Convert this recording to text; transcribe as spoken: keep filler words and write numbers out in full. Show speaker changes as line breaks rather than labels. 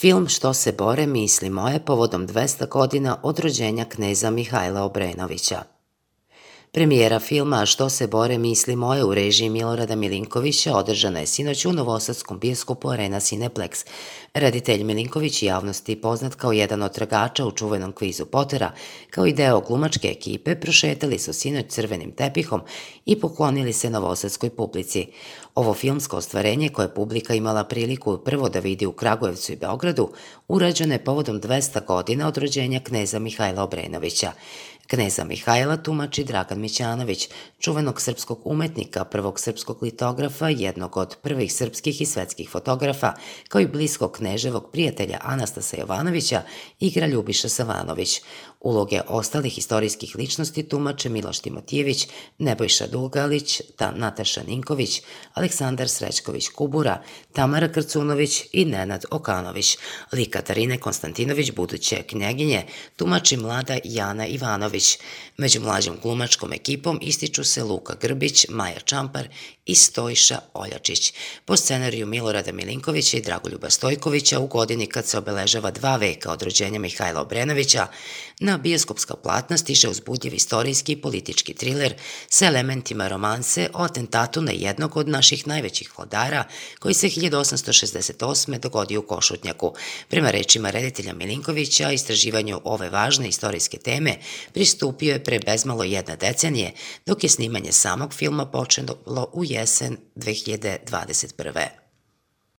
Film Što se bore misli moje povodom dvesta godina od rođenja kneza Mihajla Obrenovića. Premijera filma Što se bore misli moje u režiji Milorada Milinkovića održana je sinoć u Novosadskom bioskopu Arena Cineplex. Reditelj Milinković javnosti poznat kao jedan od tragača u čuvenom kvizu Potera, kao i deo glumačke ekipe, prošetali su sinoć crvenim tepihom i poklonili se novosadskoj publici. Ovo filmsko ostvarenje, koje je publika imala priliku prvo da vidi u Kragujevcu i Beogradu, urađeno je povodom dvesta godina od rođenja kneza Mihajla Obrenovića. Kneza Mihajla tumači Dragan Mićanović, čuvenog srpskog umetnika, prvog srpskog litografa, jednog od prvih srpskih i svetskih fotografa, kao i bliskog kneževog prijatelja Anastasa Jovanovića, igra Ljubiša Savanović. Uloge ostalih istorijskih ličnosti tumače Miloš Timotijević, Nebojša Dugalić, Nataša Ninković, Aleksandar Srećković Kubura, Tamara Krcunović i Nenad Okanović. Lik Katarine Konstantinović, buduće knjeginje, tumači mlada Jana Ivanović. Među mlađom glumačkom ekipom ističu se Luka Grbić, Maja Čampar i Stojša Oljačić. Po scenariju Milorada Milinkovića i Dragoljuba Stojkovića, u godini kad se obeležava dva veka od rođenja Mihajla Obrenovića, na bioskopska platna stiže uzbudljiv istorijski i politički triler sa elementima romanse o atentatu na jednog od naših najvećih vladara koji se hiljadu osamsto šezdeset osme dogodio u Košutnjaku. Prema rečima reditelja Milinkovića, istraživanju ove važne istorijske teme pristupio je pre bezmalo jedne decenije, dok je snimanje samog filma počelo u jesen dve hiljade dvadeset prve.